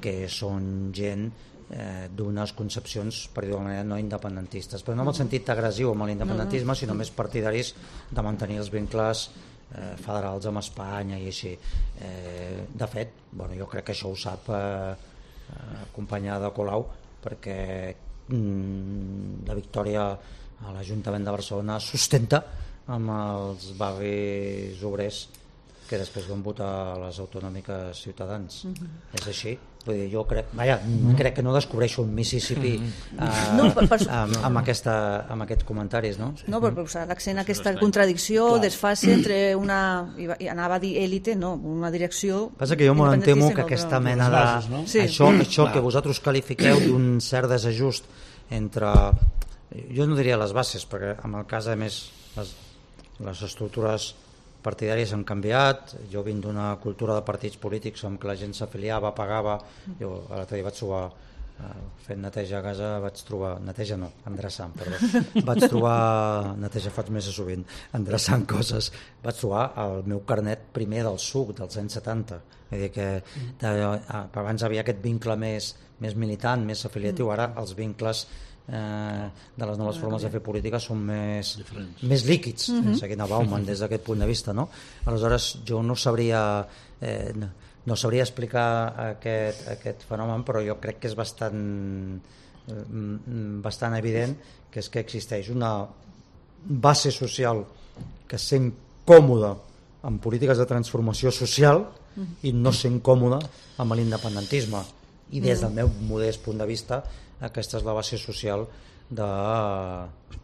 que són gent eh, d'unes concepcions, per dir-ho d'alguna manera, no independentistes, però no en el sentit agressiu amb l'independentisme, sinó més partidaris de mantenir els vincles eh, federals amb Espanya i així. Eh, de fet, bueno, jo crec que això ho sap eh, eh, companya de Colau, perquè mm, la victòria a l'Ajuntament de Barcelona sustenta amb els barris obrers que després van votar a les autonòmiques Ciutadans. Mm-hmm. És així. Vull dir, jo crec, vaja, mm-hmm. crec que no descobreixo un Mississippi eh, No, per- per- amb, amb, aquesta, amb aquests comentaris, no? No, per posar l'accent a aquesta contradicció, desfase entre una, i va- i anava a dir élite, no, una direcció... Passa que jo m'ho temo independentista que i aquesta l'altra- mena les de... bases, no? Sí. Això, això que vosaltres qualifiqueu d'un cert desajust entre... Jo no diria les bases, perquè en el cas, a més, les, les estructures partidàries han canviat. Jo vinc d'una cultura de partits polítics en què la gent s'afiliava, pagava. Jo l'altre dia vaig trobar, eh, fent neteja a casa, vaig trobar... Neteja no, endreçant, perdó. Vaig trobar... Neteja faig més sovint. Endreçant coses. Vaig trobar el meu carnet primer del suc, dels anys setanta. Vull dir que de, abans havia aquest vincle més, més militant, més afiliatiu. Ara els vincles eh, de les noves formes de fer política són més, més líquids, mm-hmm. seguint a Bauman des d'aquest punt de vista, no? Aleshores jo no sabria eh, no, no sabria explicar aquest, aquest fenomen, però jo crec que és bastant eh, bastant evident que és que existeix una base social que sent còmoda amb polítiques de transformació social i no sent còmoda amb l'independentisme, i des del meu modest punt de vista aquesta és la base social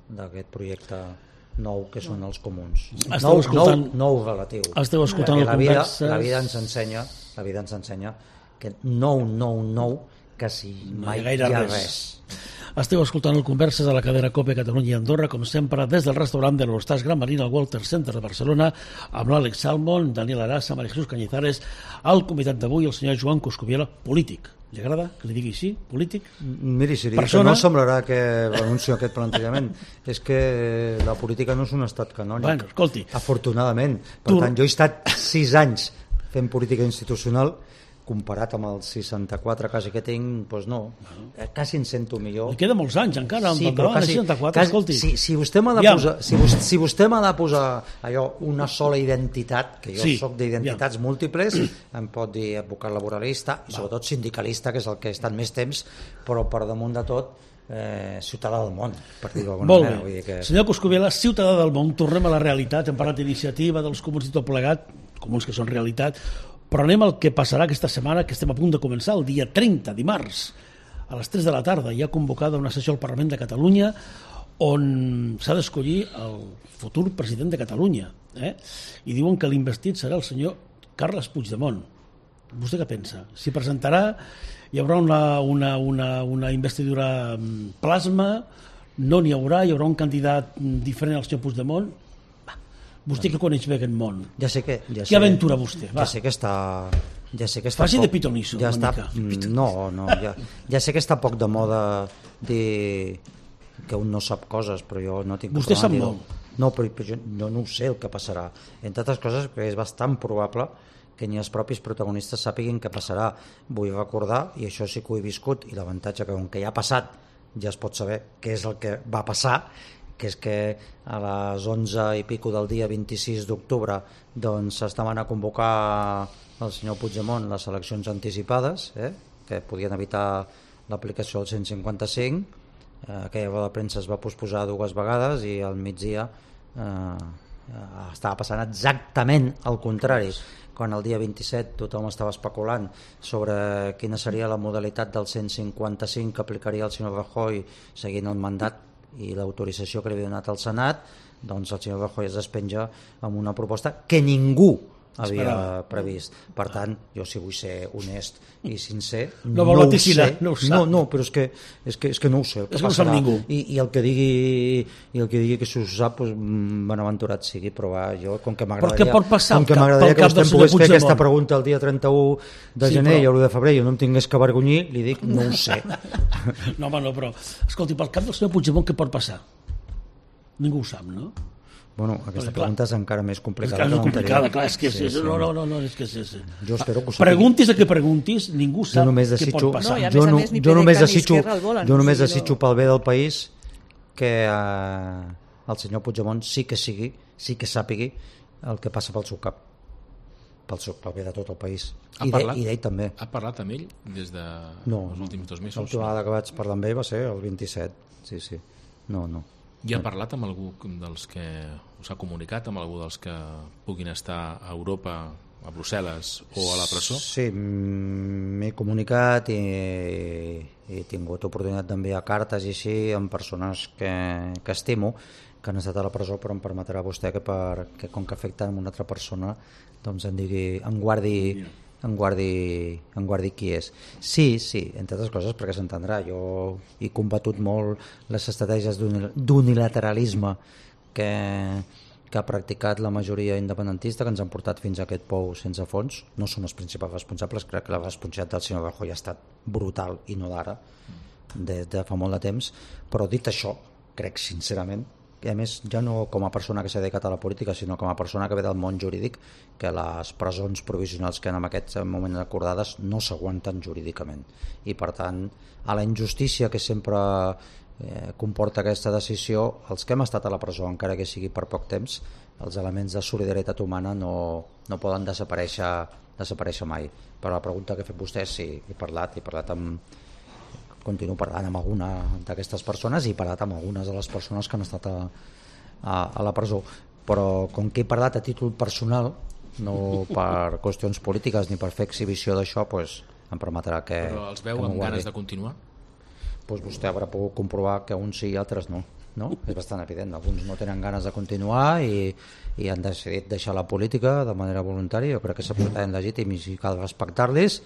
d'aquest projecte nou que són els comuns. Esteu Nou, escoltant- nou, nou relatiu. Esteu escoltant Perquè el la vida, Converses. la vida ens ensenya, la vida ens ensenya que nou, nou, nou, quasi mai hi ha hi gaire ha res. res. Esteu escoltant el Converses a la cadena COPE Catalunya i Andorra, com sempre, des del restaurant de l'Hortars Gran Marina al Walter Center de Barcelona, amb l'Àlex Salmon, Daniel Arasa, María Jesús Cañizares, el convidat d'avui, el senyor Joan Coscubiela, polític. Li agrada que li digui així, polític? Miri, si li dic que Persona- no semblarà que renuncio a aquest plantejament. És que la política no és un estat canònic. Bueno, escolti. Afortunadament. Per Tu- tant, jo he estat sis anys fent política institucional, comparat amb els seixanta-quatre quasi que tinc, doncs no, eh, quasi em sento millor. Li queda molts anys encara, amb Sí, el però davant de quasi, seixanta-quatre, quasi, escolti. si, si vostè m'ha de Aviam. posar, si vostè, si vostè m'ha de posar allò, una sola identitat, que jo Sí, sóc d'identitats múltiples, em pot dir advocat laboralista i sobretot sindicalista, que és el que he estat més temps, però per damunt de tot eh, ciutadà del món, per dir-ho d'alguna Molt manera. bé. Vull dir que... Senyor Coscubiela, ciutadà del món, tornem a la realitat, hem parlat d'iniciativa, dels comuns i tot plegat, comuns que són realitat. Però anem al que passarà aquesta setmana, que estem a punt de començar, el dia trenta, dimarts, a les tres de la tarda. Hi ha convocada una sessió al Parlament de Catalunya on s'ha d'escollir el futur president de Catalunya. Eh? I diuen que l'investit serà el senyor Carles Puigdemont. Vostè què pensa? S'hi presentarà? Hi haurà una, una, una, una investidura plasma? No n'hi haurà? Hi haurà un candidat diferent al senyor Puigdemont? Vostè que coneix bé aquest món. Ja sé que... Ja Què aventura vostè? Va. Ja sé que està... Ja sé que està Faci poc, de pitonisso, ja una està, mica. No, no, ja, ja sé que està poc de moda dir que un no sap coses, però jo no tinc... Vostè sap dir-ho. molt. No, però, però jo no, no ho sé el que passarà. Entre altres coses, perquè és bastant probable que ni els propis protagonistes sàpiguin què passarà. Vull recordar, i això sí que ho he viscut, i l'avantatge que com que ja ha passat ja es pot saber què és el que va passar, que és que a les onze i pico del dia vint-i-sis d'octubre doncs s'estaven a convocar el senyor Puigdemont les eleccions anticipades, eh, que podien evitar l'aplicació del cent cinquanta-cinc. Eh, aquella roda de premsa es va posposar dues vegades i al migdia eh, estava passant exactament el contrari. Quan el dia vint-i-set tothom estava especulant sobre quina seria la modalitat del cent cinquanta-cinc que aplicaria el senyor Rajoy seguint el mandat i l'autorització que li havia donat al Senat, doncs el senyor Rajoy es despenja amb una proposta que ningú havia Esperava. previst. Per tant, jo si vull ser honest i sincer, No no, vol ho vaticinar, sé. no ho sap. No, no, però és que, és que, és que no ho sé. El que És que no ho sap passarà. ningú. I, i el que digui i el que digui que s'ho sap, doncs, benaventurat sigui, però va, jo, com que Però m'agradaria què pot passar com que pel m'agradaria que cap del vostè em senyor pogués fer Puigdemont? aquesta pregunta el dia trenta-u de Sí, gener però- i l'u de febrer i jo no em tingués que avergonyir, li dic, no ho sé. No, home, no, però... Escolti, pel cap del senyor Puigdemont què pot passar? Ningú ho sap, no? Bueno, aquesta Perquè, clar, pregunta és encara més És complicada. que és que complicada, l'anterior. clar, és que Sí, sí, sí. no, no, no, no, és que sí, sí. Jo espero que ho sàpiga. Preguntis a què preguntis, ningú Jo sap només què desitjo, pot passar. No, i a jo, més a no, més ni jo només PDeCAT ni desitjo, Esquerra el volen, jo o només sigui, desitjo no- pel bé del país que eh, el senyor Puigdemont sí que sigui, sí que sàpigui el que passa pel seu cap, pel, seu, pel bé de tot el país. Ha I, parlat? de, I d'ell també. Ha parlat amb ell des de No, els no. últims dos mesos? L'última vegada que vaig parlar amb ell va ser el vint-i-set. Sí, sí. No, no. I ha parlat amb algú dels que us ha comunicat, amb algú dels que puguin estar a Europa, a Brussel·les o a la presó? Sí, mm, m'he comunicat i he tingut oportunitat d'enviar cartes i així amb persones que, que estimo, que han estat a la presó, però em permetrà vostè que, per, que com que afecten una altra persona doncs em digui, em guardi, em guardi, em guardi qui és. Sí, sí, entre altres coses perquè s'entendrà, jo he combatut molt les estratègies d'unil- d'unilateralisme que, que ha practicat la majoria independentista, que ens han portat fins a aquest pou sense fons. No són els principals responsables, crec que la responsabilitat del senyor Rajoy ha estat brutal i no d'ara, des de fa molt de temps, però dit això, crec sincerament i a més ja no com a persona que s'ha dedicat a la política sinó com a persona que ve del món jurídic que les presons provisionals que en aquest moment acordades no s'aguanten jurídicament i per tant a la injustícia que sempre eh, comporta aquesta decisió, els que hem estat a la presó encara que sigui per poc temps, els elements de solidaritat humana no, no poden desaparèixer, desaparèixer mai. Però la pregunta que ha fet vostè, sí, he parlat, he parlat amb continuo parlant amb alguna d'aquestes persones i he parlat amb algunes de les persones que han estat a, a, a la presó, però com que he parlat a títol personal, no per qüestions polítiques ni per fer exhibició d'això, doncs em permetrà que... Però els veu que m'ho amb guardi. ganes de continuar? Doncs vostè haurà pogut comprovar que uns sí i altres no. No? És bastant evident, alguns no tenen ganes de continuar i, i han decidit deixar la política de manera voluntària, jo crec que és absolutament legítim i cal respectar-los,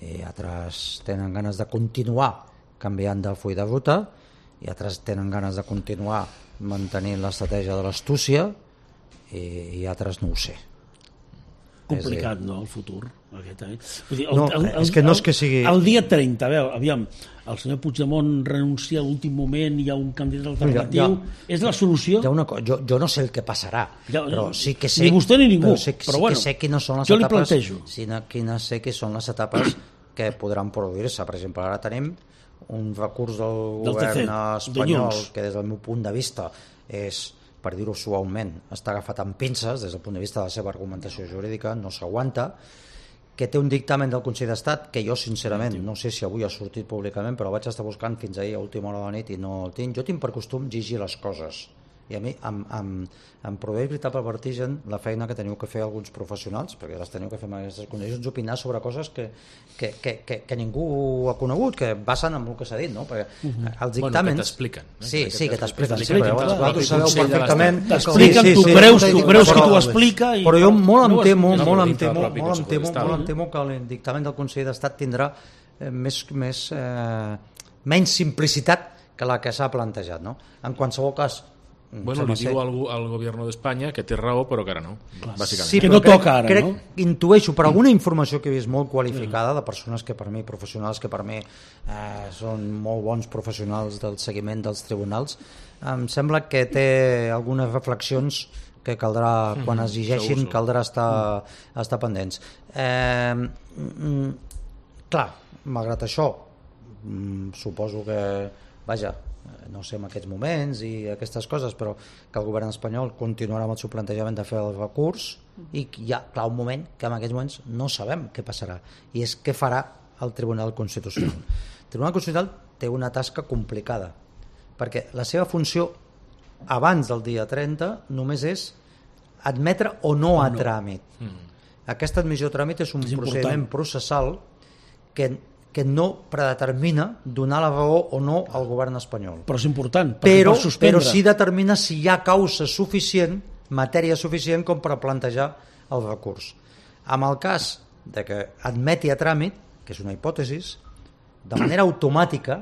i altres tenen ganes de continuar canviant de full de ruta i altres tenen ganes de continuar mantenint l'estratègia de l'astúcia i, i altres no ho sé. Complicat, És no, el futur aquest, eh? Vull dir, No, és que no és que sigui- El dia trenta, a veure, aviam, el senyor Puigdemont renuncia a l'últim moment, hi ha un candidat alternatiu, Ja- ja- és la solució? Hi ha una co- jo, jo no sé el que passarà, Ja- però sí que sé... ni vostè ni ningú, però sé, però sí bueno, que sé quines són les jo li etapes... plantejo. Sí, quines sé que són les etapes que podran produir-se. Per exemple, ara tenim un recurs del, Del govern T C, espanyol dilluns. que des del meu punt de vista és, per dir-ho suaument, està agafat amb pinces des del punt de vista de la seva argumentació jurídica, no s'aguanta, que té un dictamen del Consell d'Estat que jo sincerament no sé si avui ha sortit públicament, però vaig estar buscant fins ahir a última hora de la nit i no el tinc. Jo tinc per costum llegir les coses i a mi em, em, em produeix veritable vertigen la feina que teniu que fer alguns professionals, perquè les teniu que fer en aquestes condicions, opinar sobre coses que, que, que, que, que ningú ha conegut, que basen en el que s'ha dit, no? Perquè uh-huh. els dictàmens... Bueno, que t'expliquen. Eh? Sí, sí, que t'expliquen. Sí, però vosaltres sabeu perfectament... T'expliquen, tu creus, tu creus que t'ho explica... I... Però jo molt em no temo, no, molt no, em temo, no, molt em temo, no, molt em temo que el dictamen del Consell d'Estat tindrà eh, més, més, eh, menys simplicitat que la que s'ha plantejat, no? En qualsevol cas... Bueno, li diu al, al govern d'Espanya que té raó, però que ara no, bàsicament. Sí, que no crec, toca ara, crec, no? Intueixo, per alguna informació que he vist molt qualificada de persones que per mi, professionals que per mi eh, són molt bons professionals del seguiment dels tribunals, em sembla que té algunes reflexions que caldrà, quan es llegeixin, caldrà estar, estar pendents. Eh, mm, clar, malgrat això, mm, suposo que, vaja, no sé en aquests moments i aquestes coses, però que el govern espanyol continuarà amb el seu plantejament de fer el recurs i hi ha, clar, un moment que en aquests moments no sabem què passarà, i és què farà el Tribunal Constitucional. El Tribunal Constitucional té una tasca complicada, perquè la seva funció abans del dia trenta només és admetre o no a tràmit. Mm. Aquesta admissió a tràmit és un és procediment important. processal que que no predetermina donar la raó o no al govern espanyol. Però és important, però, per suspendre. Però sí determina si hi ha causa suficient, matèria suficient com per plantejar el recurs. En el cas de que admeti a tràmit, que és una hipòtesi, de manera automàtica,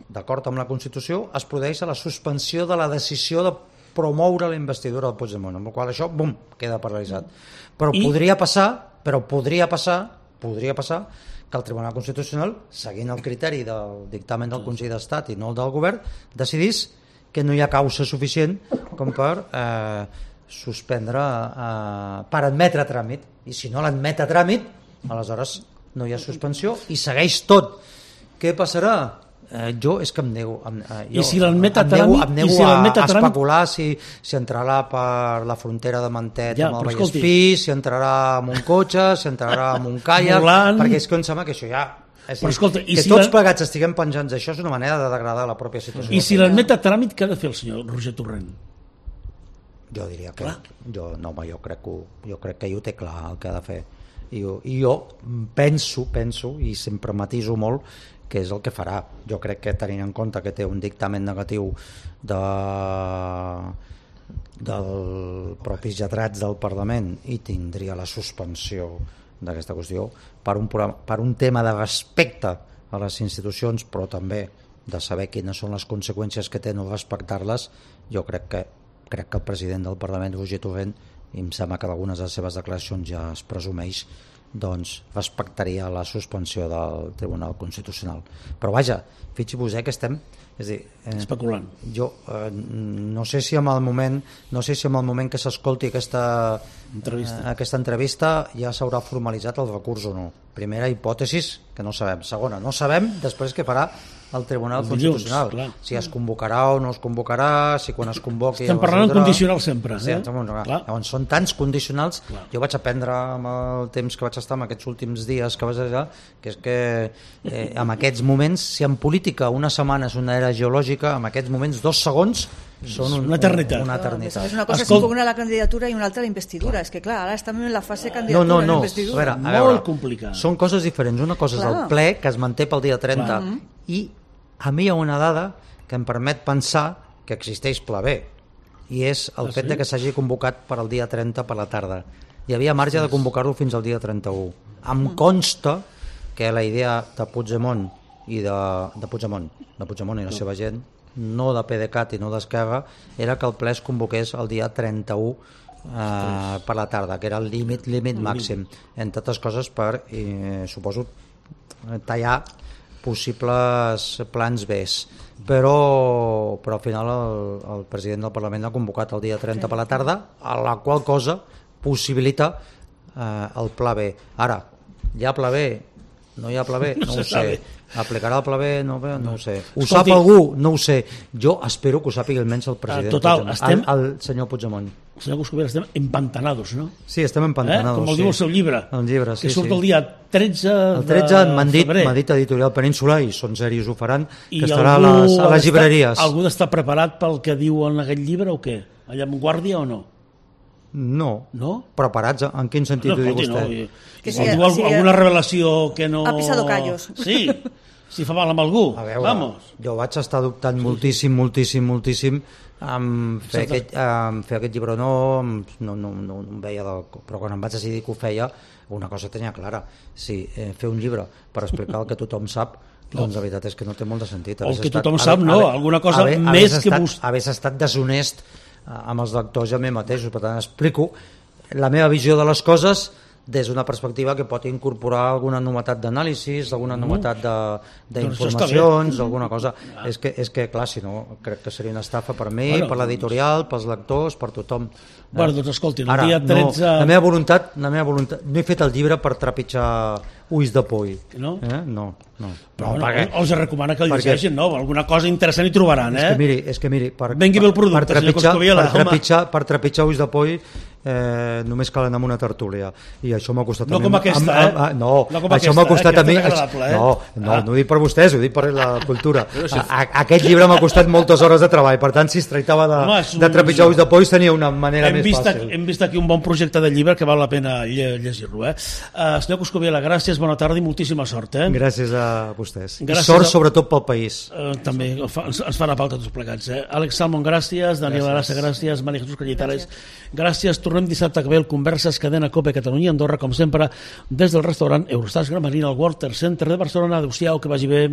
d'acord amb la Constitució, es produeix la suspensió de la decisió de promoure la investidura del Puigdemont, amb la qual això, bum, queda paralitzat. Però I... podria passar, però podria passar, podria passar que el Tribunal Constitucional, seguint el criteri del dictamen del Consell d'Estat i no el del govern, decidís que no hi ha causa suficient com per eh, suspendre, eh, per admetre a tràmit. I si no l'admet a tràmit, aleshores no hi ha suspensió i segueix tot. Què passarà? Eh, jo és que em nego, em, eh, jo, I si l'admet a em nego, tràmit, em nego i si a, l'admet a a tràmit... especular si, si entrarà per la frontera de Mantet Ja, amb el però escolti. Vallespí, si entrarà amb un cotxe, si entrarà amb un caiac, Volant. perquè és que em sembla que això ja... És Però dir, escolta, i que si tots la- plegats estiguem penjants d'això és una manera de degradar la pròpia situació. I si l'admet a tràmit, què ha de fer el senyor Roger Torrent? Jo diria que... Jo, no, home, jo crec que, ho- jo crec que ell ho té clar el que ha de fer. I jo, i jo penso, penso, i sempre matiso molt, que és el que farà. Jo crec que tenint en compte que té un dictamen negatiu de, del propis lletrats del Parlament i tindria la suspensió d'aquesta qüestió per un, per un tema de respecte a les institucions, però també de saber quines són les conseqüències que té no respectar-les. Jo crec que crec que el president del Parlament, Roger Torrent, i em sembla que d'algunes de les seves declaracions ja es presumeix, doncs respectaria la suspensió del Tribunal Constitucional. Però vaja, fixi-vos eh, que estem és dir, eh, especulant. Jo eh, no sé si en el moment no sé si en el moment que s'escolti aquesta entrevista. Eh, aquesta entrevista ja s'haurà formalitzat el recurs o no. Primera hipòtesi, que no sabem. Segona, no sabem després què farà el Tribunal Els dilluns, Constitucional. clar. Si es convocarà o no es convocarà, si quan es convoqui... Estem parlant en condicional sempre. Sí, Eh? clar. Clar. Llavors, són tants condicionals. Clar. Jo vaig aprendre amb el temps que vaig estar en aquests últims dies que vaig allà, que és que eh, en aquests moments, si en política una setmana és una era geològica, en aquests moments dos segons són un, una eternitat. una No, eternitat. és una cosa Escolt- és una la candidatura i una altra la investidura. És que clar, ara estem en la fase No, candidatura no, i no. A investidura. veure, a Molt veure, complicat. Són coses diferents. Una cosa Clar. és el ple, que es manté pel dia trenta, Clar. i a mi hi ha una dada que em permet pensar que existeix pla B, i és el Ah, fet sí? de que s'hagi convocat per al dia trenta per la tarda. Hi havia marge de convocar-lo fins al dia trenta-u. Em consta que la idea de Puigdemont i de, de Puigdemont, de Puigdemont i la seva gent, no de PDeCAT i no d'Esquerra, era que el ple es convoqués el dia trenta-u eh, per la tarda, que era el límit límit màxim, entre altres coses per, eh, suposo, tallar possibles plans B, però, però al final el, el president del Parlament ha convocat el dia trenta per la tarda, a la qual cosa possibilita eh, el pla B. Ara, hi ha pla B? No hi ha pla B? No ho sé. Aplicarà el pla B? No, no ho sé. Ho Escolti, sap algú? No ho sé. Jo espero que ho sàpiga almenys el president total, Puigdemont, estem- el, el senyor Puigdemont. senyor Coscubiela, estem empantanados, no? Sí, estem empantanados. Eh? Com el sí. diu el seu llibre, el llibre sí, que surt sí. el dia tretze el tretze de m'han dit, febrer. m'ha dit Editorial Península, i són serios, ho faran, I que estarà a algú les, a ha les llibreries. d'estar- Algú d'estar preparat pel que diu en aquest llibre o què? Allà en guàrdia o no? No. No? Preparats? En quin sentit ho diu escolti, vostè? No, i- Que o sí, diu sí, alguna revelació que no... ha pisado callos. Sí, si fa mal amb algú. A veure, Vamos. jo vaig estar dubtant moltíssim, moltíssim, moltíssim en fer, Exacte. aquest, en fer aquest llibre o no, no, no, no, no em veia del... però quan em vaig decidir que ho feia, una cosa tenia clara, si eh, fer un llibre per explicar el que tothom sap, doncs la veritat és que no té molt de sentit. El Hagués que estat- tothom haver- sap, no, haver- alguna cosa haver- més hagués que estat, vos- hagués estat deshonest eh, amb els lectors i amb mi mateixos. Per tant, explico la meva visió de les coses des d'una perspectiva que pot incorporar alguna novetat d'anàlisis, alguna novetat de- d'informacions, alguna cosa. És que, és que, clar, si no, crec que seria una estafa per mi, Bueno, per l'editorial, pels lectors, per tothom. Bueno, doncs escolti, el Ara, dia tretze... no, la meva voluntat, la meva voluntat, no he fet el llibre per trepitjar ulls de poll. No? Eh? No, no. Però no, bueno, perquè- els recomana que el perquè- llegeixin, no? Alguna cosa interessant hi trobaran, És eh? que miri, és que miri per, Vengui bé el producte, per, senyor trepitjar, Coscubiela, per, home. trepitjar, per trepitjar ulls de poll eh, només cal anar amb una tertúlia, i això m'ha costat No a mi- com aquesta, amb- eh? amb- no, No com això aquesta, m'ha costat eh? a mi Aquesta és agradable, eh? no, no, Ah. no ho dic per vostès, ho dic per la cultura. a, a, aquest llibre m'ha costat moltes hores de treball, per tant si es tractava de, Home, és un- de trepitjar ulls de poll tenia una manera Hem més vist, fàcil. aquí, hem vist aquí un bon projecte de llibre que val la pena lle llegir-lo, eh? Uh, senyor Coscubiela, gràcies, bona tarda i moltíssima sort, eh? Gràcies a vostès. Gràcies I sort a- sobretot pel país. Uh, també fa, ens, ens fan a falta tots plegats, eh? Àlex Salmon, gràcies, Daniel Arassa, gràcies, Maria Jesús Calletares, gràcies. Tornem dissabte que ve el Converses, cadena COPE Catalunya, Andorra, com sempre, des del restaurant Eurostars Gran Marina, al Walter Center de Barcelona. Adéu-siau, que vagi bé.